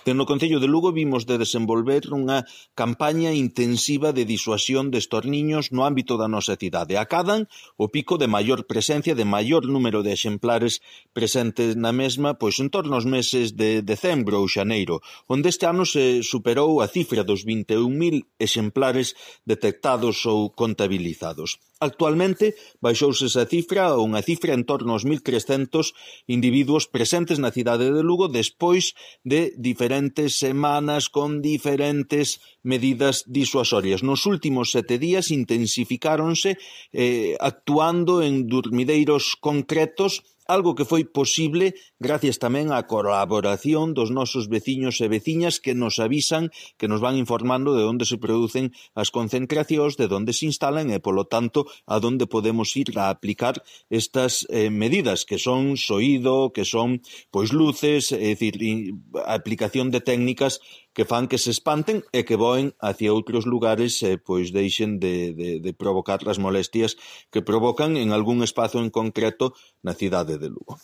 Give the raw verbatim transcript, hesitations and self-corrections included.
que no Concello de Lugo vimos de desenvolver unha campaña intensiva de disuasión destos niños no ámbito da nosa cidade. Acadan o pico de maior presencia, de maior número de exemplares presentes na mesma, pois en torno aos meses de decembro ou xaneiro, onde este ano se superou a cifra dos vinte e un mil exemplares detectados ou contabilizados. Actualmente, baixouse esa cifra a unha cifra en torno aos mil trescentos individuos presentes na cidade de Lugo despois de diferentes semanas con diferentes medidas disuasorias. Nos últimos sete días intensificáronse eh, actuando en dormideiros concretos, algo que foi posible gracias tamén á colaboración dos nosos veciños e veciñas que nos avisan, que nos van informando de onde se producen as concentracións, de onde se instalan e, polo tanto, a onde podemos ir a aplicar estas eh, medidas, que son soído, que son pois luces, é dicir, a aplicación de técnicas que fan que se espanten e que voen hacia outros lugares e pois deixen de, de, de provocar as molestias que provocan en algún espazo en concreto na cidade de Lugo.